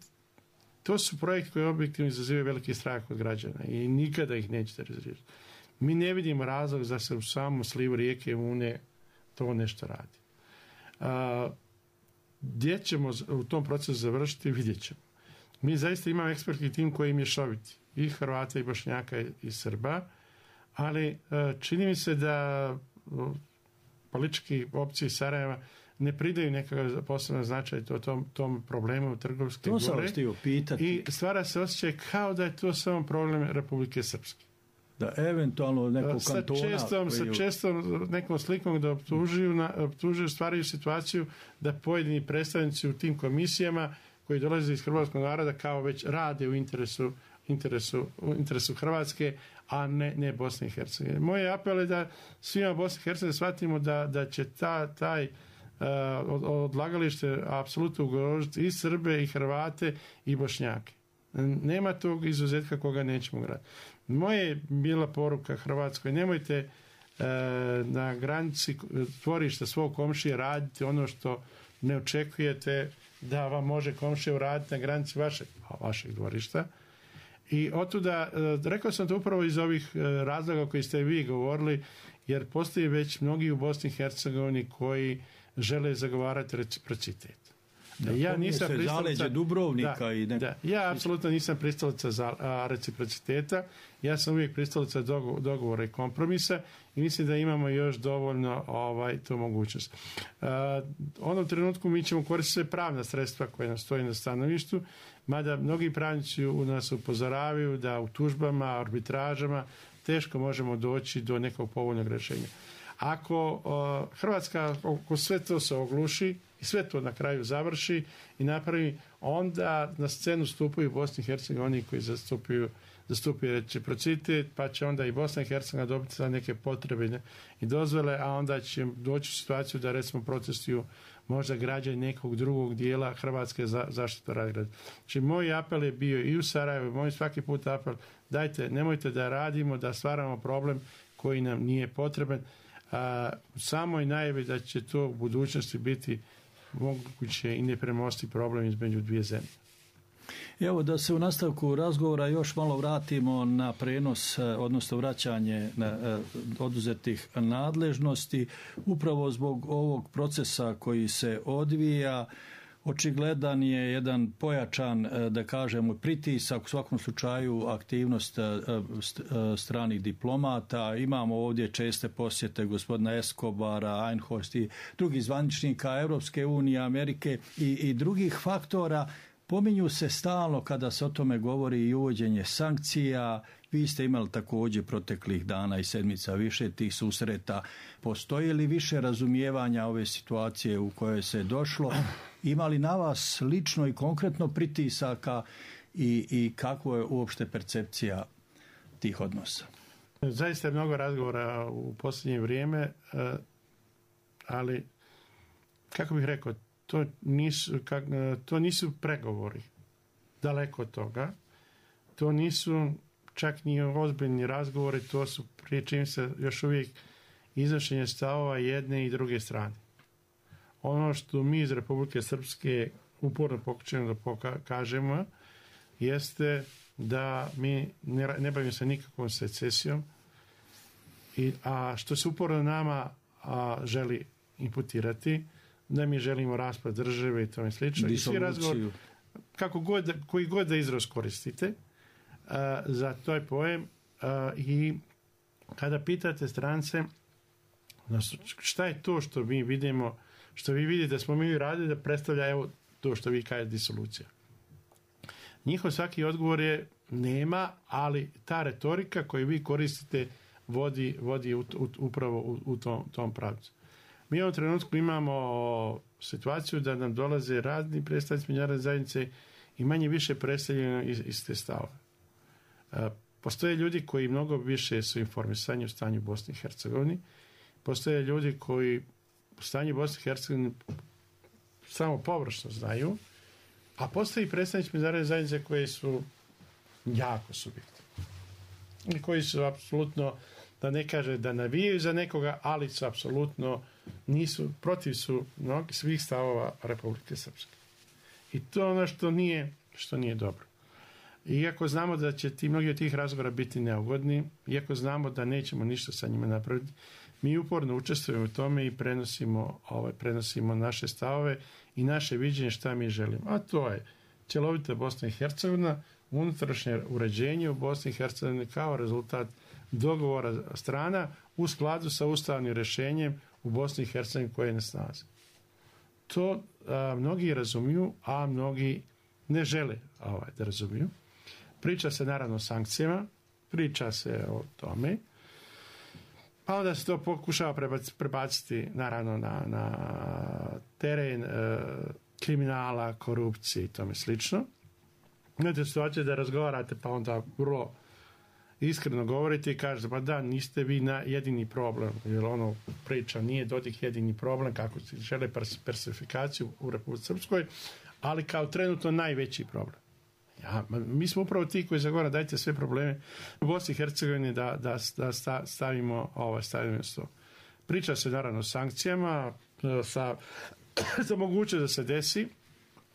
to su projekti koji objektivno izazivaju veliki strah od građana i nikada ih nećete razriješiti. Mi ne vidimo razlog da se u samom slivu rijeke Une to nešto radi. Gdje ćemo u tom procesu završiti, vidjet ćemo. Mi zaista imamo ekspertni tim koji je mješoviti. I Hrvata, i Bošnjaka, i Srba. Ali čini mi se da politički opcije Sarajeva ne pridaju nekakav posebno značaj tom problemu Trgovske gore. I stvara se osjećaj kao da je to samo problem Republike Srpske. Da eventualno nekog kantona... Sa čestom nekom slikom da optužuju, stvaraju situaciju da pojedini predstavnici u tim komisijama koji dolaze iz hrvatskog naroda kao već rade u interesu Hrvatske, a ne Bosne i Hercegovine. Moj apel je da svima Bosne i Hercegovine shvatimo da će taj odlagalište apsolutno ugrožiti i Srbe, i Hrvate, i Bošnjake. Nema tog izuzetka koga nećemo graditi. Moje je bila poruka Hrvatskoj, nemojte na granici tvorišta svog komšije raditi ono što ne očekujete da vam može komšija uraditi na granici vašeg dvorišta. I otuda, rekao sam to upravo iz ovih razloga koji ste vi govorili, jer postoji već mnogi u Bosni i Hercegovini koji žele zagovarati reciprocitet. Ja nisam zaleđe Dubrovnika i ja apsolutno nisam pristalica za reciprociteta. Ja sam uvijek pristalica dogovora i kompromisa i mislim da imamo još dovoljno tu mogućnost. U onom trenutku mi ćemo koristiti sve pravna sredstva koje nam stoji na stanovištu, mada mnogi pravnici u nas upozoravaju da u tužbama, arbitražama teško možemo doći do nekog povoljnog rješenja. Ako Hrvatska oko sve to se ogluši i sve to na kraju završi i napravi, onda na scenu stupaju Bosni i Hercegovini koji zastupaju zastupio reciprocitet, pa će onda i Bosna i Hercegovina dobiti za neke potrebe i dozvole, a onda će doći u situaciju da recimo protestuju možda građani nekog drugog dijela Hrvatske za zaštitu razgrada. Znači, moj apel je bio i u Sarajevu, moj svaki put apel, dajte, nemojte da radimo, da stvaramo problem koji nam nije potreban. Samo je najavi da će to u budućnosti biti moguće i nepremosti problem između dvije zemlje. Evo da se u nastavku razgovora još malo vratimo na prenos, odnosno vraćanje oduzetih nadležnosti. Upravo zbog ovog procesa koji se odvija, očigledan je jedan pojačan, da kažemo, pritisak, u svakom slučaju aktivnost stranih diplomata. Imamo ovdje česte posjete gospodina Escobara, Einhorst i drugih zvaničnika Europske unije, Amerike i drugih faktora. Pominju se stalno kada se o tome govori i uvođenje sankcija. Vi ste imali također proteklih dana i sedmica više tih susreta. Postoji li više razumijevanja ove situacije u kojoj se došlo? Ima li na vas lično i konkretno pritisaka i kakva je uopšte percepcija tih odnosa? Zaista je mnogo razgovora u posljednje vrijeme, ali kako bih rekao, to nisu pregovori, daleko od toga. To nisu čak ni ozbiljni razgovori, to su prije čim se još uvijek iznošenje stavova jedne i druge strane. Ono što mi iz Republike Srpske uporno pokušamo da pokažemo jeste da mi ne bavimo se nikakvom secesijom, a što se uporno nama želi imputirati, da mi želimo raspad države i tome slično. I svi razgovor, koji god da izraz koristite za toj pojem, i kada pitate strance šta je to što mi vidimo, što vi vidite da smo mi radili, da predstavlja evo to što vi kažete disolucija. Njihov svaki odgovor je nema, ali ta retorika koju vi koristite vodi upravo u tom pravcu. Mi u ovom trenutku imamo situaciju da nam dolaze razni predstavnici međunarodne zajednice i manje više predstavljeno iz te stavove. Postoje ljudi koji mnogo više su informisani o stanju u Bosni i Hercegovini. Postoje ljudi koji u stanju Bosni i Hercegovini samo površno znaju, a postoji predstavnici međunarodne zajednice koji su jako subjektivni. I koji su apsolutno, da ne kaže da navijaju za nekoga, ali su apsolutno protiv su svih stavova Republike Srpske. I to je ono što nije dobro. Iako znamo da će mnogi od tih razgovora biti neugodni, iako znamo da nećemo ništa sa njima napraviti, mi uporno učestvujemo u tome i prenosimo naše stavove i naše viđenje šta mi želimo. A to je cjelovita Bosna i Hercegovina, unutrašnje uređenje u Bosni i Hercegovini kao rezultat dogovora strana u skladu sa ustavnim rješenjem u Bosni i Hercegovini koje je na snazi. To mnogi razumiju, a mnogi ne žele da razumiju. Priča se naravno o sankcijama, priča se o tome, pa onda se to pokušava prebaciti naravno na teren kriminala, korupcije i tome slično. Imate situaciju da razgovarate, pa onda vrlo iskreno govorite i kažete, pa da, niste vi jedini problem, jer ono priča nije Dodik jedini problem, kako se žele persifikaciju u Republici Srpskoj, ali kao trenutno najveći problem. Mi smo upravo ti koji zagovara dajte sve probleme u Bosni i Hercegovini da stavimo sto. Priča se naravno o sankcijama, za moguće da se desi.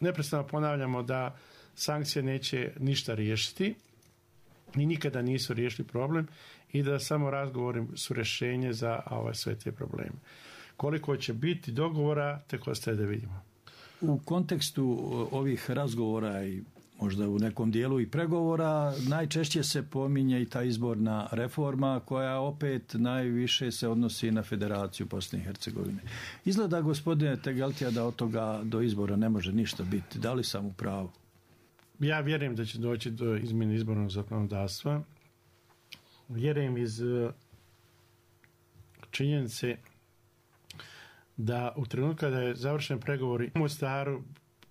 Neprestano ponavljamo da sankcije neće ništa riješiti i nikada nisu riješili problem i da samo razgovori su rješenje za sve te probleme. Koliko će biti dogovora, tek ostaje da vidimo. U kontekstu ovih razgovora i možda u nekom dijelu i pregovora najčešće se pominje i ta izborna reforma koja opet najviše se odnosi na Federaciju Bosne i Hercegovine. Izgleda, gospodine Tegeltija, da od toga do izbora ne može ništa biti. Da li sam u pravu? Ja vjerujem da će doći do izmjene izbornog zakonodavstva. Vjerujem iz činjenice da u trenutku kada je završen pregovori u Mostaru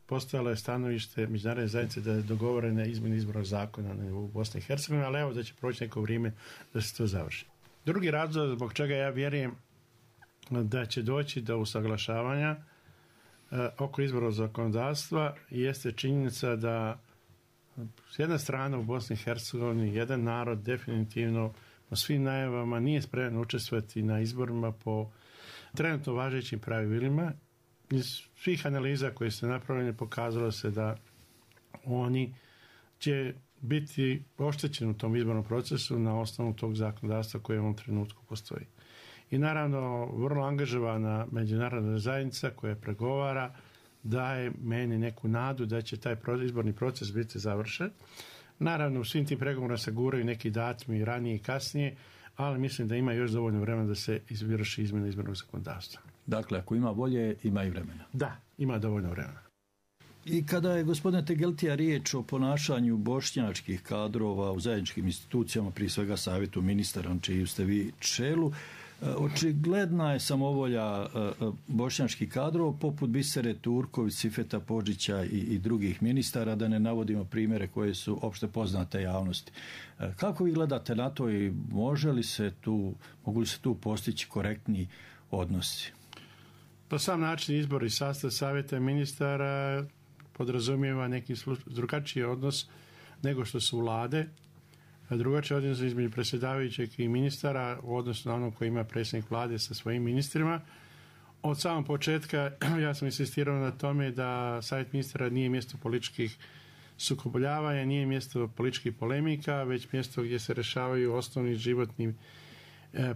postojalo je stanovište međunarodne zajednice da je dogovorena izmjena izbornog zakona u Bosni i Hercegovini, ali evo da će proći neko vrijeme da se to završi. Drugi razlog zbog čega ja vjerujem da će doći do usaglašavanja oko izbornog zakonodavstva jeste činjenica da s jedne strane u Bosni i Hercegovini jedan narod definitivno po svim najavama nije spreman učestvovati na izborima po trenutno važećim pravilima. Iz svih analiza koje su napravljene pokazalo se da oni će biti oštećeni u tom izbornom procesu na osnovu tog zakonodavstva koje u ovom trenutku postoji. I naravno vrlo angažovana međunarodna zajednica koja pregovara daje meni neku nadu da će taj izborni proces biti završen. Naravno, u svim tim pregovorima se guraju neki datumi ranije i kasnije, ali mislim da ima još dovoljno vremena da se izvrši izmjena izbornog zakonodavstva. Dakle, ako ima volje, ima i vremena. Da, ima dovoljno vremena. I kada je, gospodine Tegeltija, riječ o ponašanju bošnjačkih kadrova u zajedničkim institucijama, prije svega savjetu ministara, na čiji ste vi čelu, očigledna je samovolja bošnjačkih kadrova poput Bisere Turković, Sifeta Podžića i drugih ministara, da ne navodimo primjere koje su opšte poznate javnosti. Kako vi gledate na to i mogu li se tu postići korektni odnosi? Pa sam način izbor i sastav savjeta ministara podrazumijeva neki drugačiji odnos nego što su vlade, drugačiji odnos između predsjedavajućeg i ministara u odnosu na onog koji ima predsjednik vlade sa svojim ministrima. Od samog početka ja sam insistirao na tome da savjet ministara nije mjesto političkih sukobljavanja, nije mjesto političkih polemika, već mjesto gdje se rješavaju osnovni životni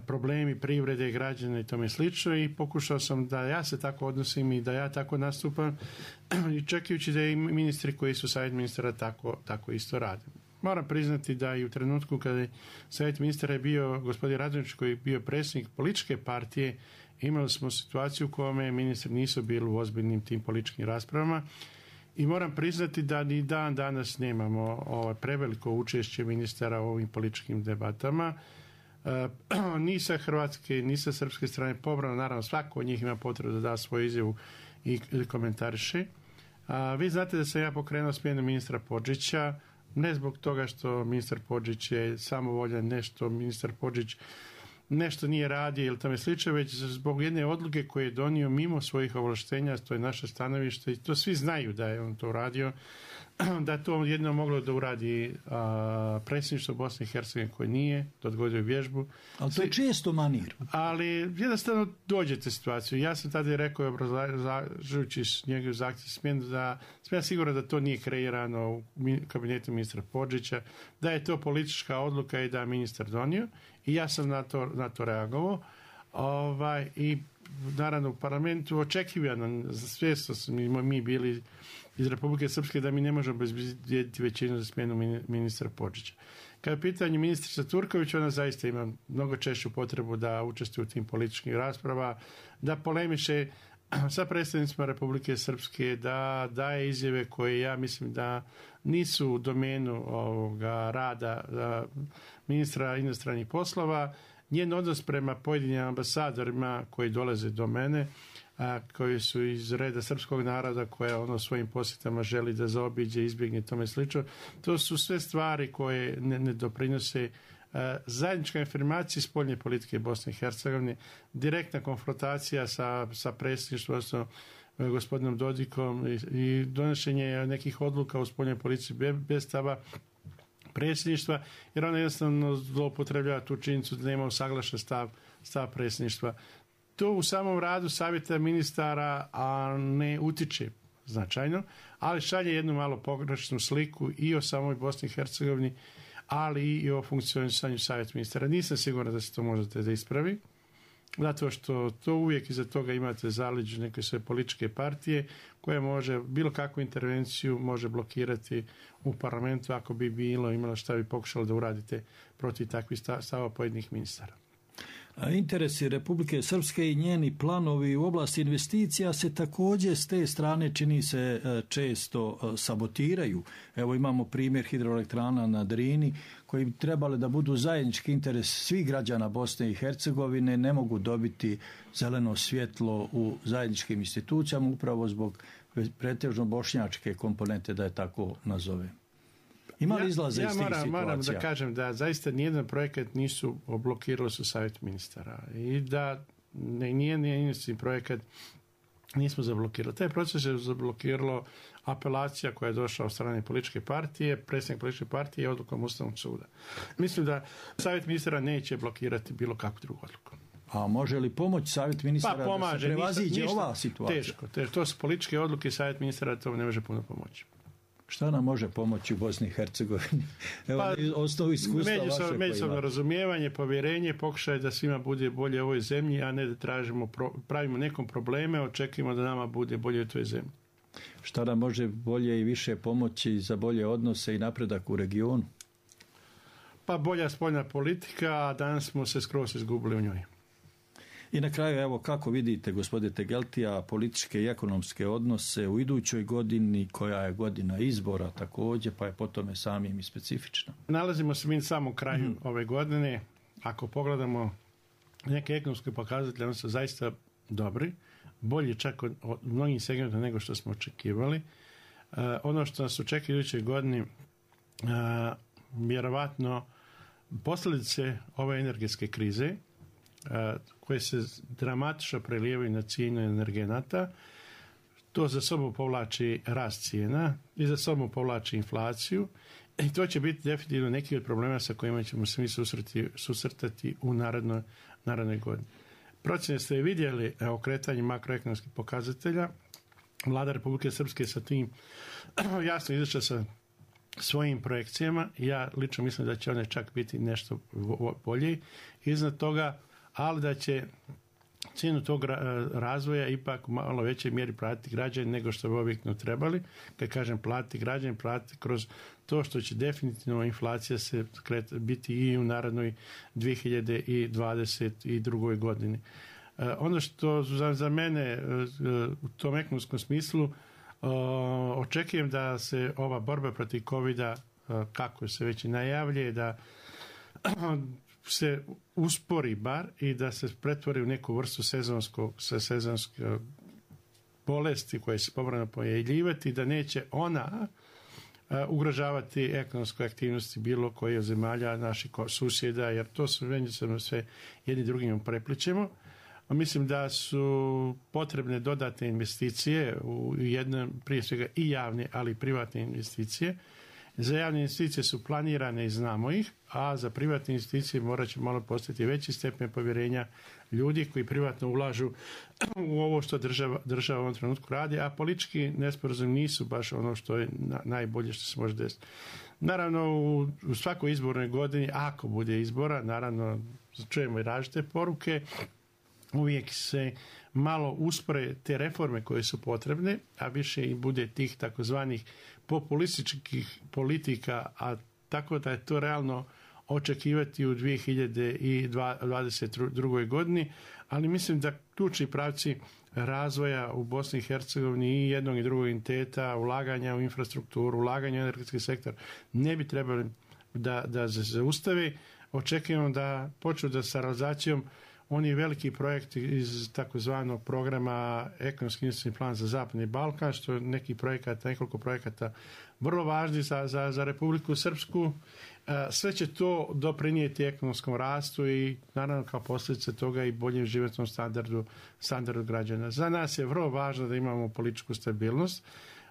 problemi privrede, građana i tome slično, i pokušao sam da ja se tako odnosim i da ja tako nastupam, i čekajući da i ministri koji su savjet ministara tako isto rade. Moram priznati da i u trenutku kada je savjet ministara je bio gospodin Radonjić, koji je bio predsjednik političke partije, imali smo situaciju u kojoj ministri nisu bili u ozbiljnim tim političkim raspravama, i moram priznati da ni dan danas nemamo preveliko učešće ministara u ovim političkim debatama. Ni sa hrvatske, ni sa srpske strane pobrano, naravno svako od njih ima potrebu da da svoju izjavu i komentariše. Vi znate da sam ja pokrenuo smjenu ministra Podžića, ne zbog toga što ministar Podžić je samovoljan, nešto ministar Podžić nešto nije radio ili tome slično, već zbog jedne odluke koje je donio mimo svojih ovlaštenja, to je naše stanovište i to svi znaju da je on to radio, da to jedno moglo da uradi predsjedništvo Bosne i Hercegovine koje nije, da odgodio vježbu. Ali to je često manir. Ali jednostavno dođete situaciju. Ja sam tada rekao, obrazlažujući njegov zahtjev smjenu, da sam ja siguran da to nije kreirano u kabinetu ministra Podžića, da je to politička odluka i da je ministar donio, i ja sam na to reagovao. I naravno u parlamentu očekivano, svjesno smo mi bili iz Republike Srpske da mi ne možemo obezbijediti većinu za smjenu ministra Podžića. Kada je pitanje ministrica Turković, ona zaista ima mnogo češću potrebu da učestvuje u tim političkim rasprava, da polemiše sa predstavnicima Republike Srpske, da daje izjave koje ja mislim da nisu u domenu rada ministra inostranih poslova. Njen odnos prema pojedinim ambasadorima koji dolaze do mene, koji su iz reda srpskog naroda, koja svojim posjetama želi da zaobiđe, izbjegne tome slično. To su sve stvari koje ne doprinose zajednička afirmacija spoljne politike Bosne i Hercegovine, direktna konfrontacija sa predsjedništvom, odnosno gospodinom Dodikom, i donošenje nekih odluka u spoljnoj politici bez stava predsjedništva, jer ona jednostavno zloupotrebljava tu činjenicu da nema usaglašen stav predsjedništva. To u samom radu savjeta ministara ne utiče značajno, ali šalje jednu malo pogrešnu sliku i o samoj Bosni i Hercegovini, ali i o funkcionisanju savjeta ministara. Nisam siguran da se to možete da ispravi, zato što to uvijek iza toga imate zaleđu neke sve političke partije koje može bilo kakvu intervenciju može blokirati u parlamentu ako bi imalo šta bi pokušalo da uradite protiv takvih stava pojedinih ministara. Interesi Republike Srpske i njeni planovi u oblasti investicija se također s te strane čini se često sabotiraju. Evo imamo primjer hidroelektrana na Drini koji bi trebali da budu zajednički interes svih građana Bosne i Hercegovine, ne mogu dobiti zeleno svjetlo u zajedničkim institucijama upravo zbog pretežno bošnjačke komponente, da je tako nazove. Ima li izlaza iz tih situacija? Ja moram da kažem da zaista nijedan projekat nisu blokirali su savjet ministara i da nijedan projekat nismo zablokirali. Taj proces je zablokiralo apelacija koja je došla od strane političke partije, predsjednik političke partije i odlukom Ustavnog suda. Mislim da savjet ministara neće blokirati bilo kakvu drugu odluku. A može li pomoći savjet ministara da se prevaziđe ova situacija? Teško. To su političke odluke, savjet ministara to ne može puno pomoći. Šta nam može pomoći u Bosni i Hercegovini? Evo, osnovu iskustva vaše. Međusobno razumijevanje, povjerenje, pokušaj da svima bude bolje u ovoj zemlji, a ne da pravimo nekom probleme, očekujemo da nama bude bolje u toj zemlji. Šta nam može bolje i više pomoći za bolje odnose i napredak u regionu? Pa bolja spoljna politika, a danas smo se skroz izgubili u njoj. I na kraju, evo, kako vidite, gospodine Tegeltija, političke i ekonomske odnose u idućoj godini, koja je godina izbora također, pa je po tome samim i specifična? Nalazimo se mi na samom kraju ove godine. Ako pogledamo neke ekonomske pokazatelje, oni su zaista dobri, bolji čak od mnogih segmenta nego što smo očekivali. Ono što nas očekuje u idućoj godini, vjerovatno posljedice ove energetske krize, koje se dramatično prelijevaju na cijenu energenata, to za sobom povlači rast cijena i za sobom povlači inflaciju i to će biti definitivno neki od problema sa kojima ćemo se mi susretati u narednoj godini. Procjene ste vidjeli okretanje makroekonomskih pokazatelja. Vlada Republike Srpske sa tim jasno izašla sa svojim projekcijama. Ja lično mislim da će one čak biti nešto bolje iznad toga, ali da će cijenu tog razvoja ipak u malo većoj mjeri platiti građani nego što bi objektivno trebali. Kad kažem platiti građani, platiti kroz to što će definitivno inflacija se biti i u narednoj 2022. godini. Ono što za mene u tom ekonomskom smislu očekujem da se ova borba protiv COVID-a, kako se već i najavljuje, da se uspori bar i da se pretvori u neku vrstu sezonske bolesti koje se povremeno pojavljivati, da neće ona ugrožavati ekonomske aktivnosti bilo koje od zemalja naših susjeda, jer to su međusobno sve jedni drugim prepličemo. Mislim da su potrebne dodatne investicije u jednom, prije svega i javne, ali i privatne investicije. Za javne investicije su planirane i znamo ih, a za privatne investicije morat će malo postati veći stepen povjerenja ljudi koji privatno ulažu u ovo što država u ovom trenutku radi, a politički nesporazumi nisu baš ono što je najbolje što se može desiti. Naravno, u svakoj izbornoj godini, ako bude izbora, naravno čujemo i različite poruke, uvijek se malo uspore te reforme koje su potrebne, a više i bude tih takozvanih populističkih politika, a tako da je to realno očekivati u 2022. godini, ali mislim da ključni pravci razvoja u Bosni i Hercegovini i jednog i drugog entiteta, ulaganja u infrastrukturu, ulaganja u energetski sektor ne bi trebali da se zaustave. Očekujemo da počnu da sa realizacijom oni veliki projekti iz takozvanog programa Ekonomski investicijski plan za Zapadni Balkan, što je nekoliko projekata vrlo važni za Republiku Srpsku. Sve će to doprinijeti ekonomskom rastu i naravno kao posljedice toga i boljem životnom standardu građana. Za nas je vrlo važno da imamo političku stabilnost.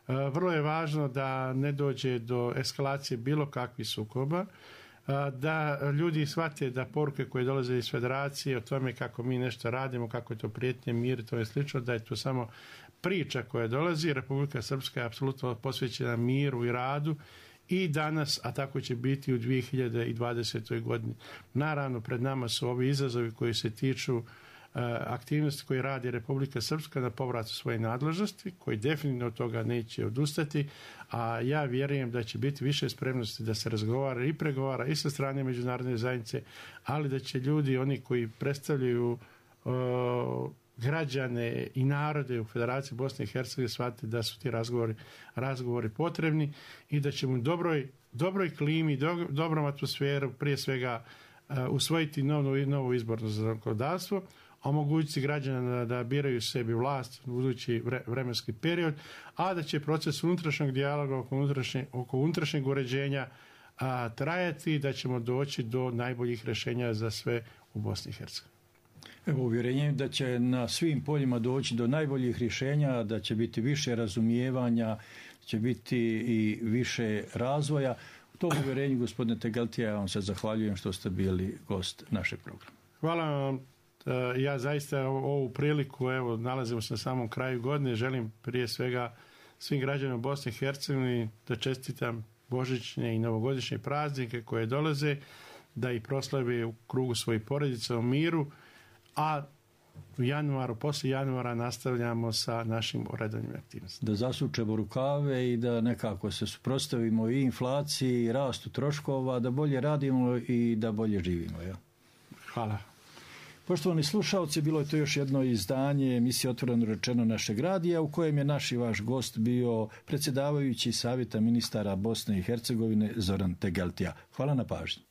Vrlo je važno da ne dođe do eskalacije bilo kakvih sukoba, da ljudi shvate da poruke koje dolaze iz federacije o tome kako mi nešto radimo, kako je to prijetnje, mir, to je slično, da je to samo priča koja dolazi. Republika Srpska je apsolutno posvećena miru i radu i danas, a tako će biti u 2020. godini. Naravno, pred nama su ovi izazovi koji se tiču aktivnosti koje radi Republika Srpska na povratu svoje nadležnosti, koji definitivno od toga neće odustati, a ja vjerujem da će biti više spremnosti da se razgovara i pregovara i sa strane međunarodne zajednice, ali da će ljudi, oni koji predstavljaju građane i narode u Federaciji Bosne i Hercegovine shvatiti da su ti razgovori potrebni i da ćemo u dobroj klimi, dobrom atmosferu prije svega usvojiti novo izborno zakonodavstvo. omogućiti građana da biraju sebi vlast u budući vremenski period, a da će proces unutrašnjeg dijaloga oko unutrašnjeg uređenja trajati, da ćemo doći do najboljih rješenja za sve u Bosni i Hercegovini. Evo, uvjerenje da će na svim poljima doći do najboljih rješenja, da će biti više razumijevanja, će biti i više razvoja. U tom uvjerenju, gospodine Tegeltija, ja vam se zahvaljujem što ste bili gost našeg programa. Hvala vam. Ja zaista ovu priliku, evo, nalazimo se na samom kraju godine, želim prije svega svim građanima Bosne i Hercegovine da čestitam božićne i novogodišnje praznike koje dolaze, da ih proslavi u krugu svojih porodica u miru, a u januaru, poslije januara nastavljamo sa našim redovnim aktivnostima. Da zasučemo rukave i da nekako se suprotstavimo i inflaciji i rastu troškova, da bolje radimo i da bolje živimo. Ja? Hvala. Poštovani slušalci, bilo je to još jedno izdanje emisije Otvoreno rečeno našeg radija, u kojem je naš i vaš gost bio predsjedavajući Savjeta ministara Bosne i Hercegovine Zoran Tegeltija. Hvala na pažnji.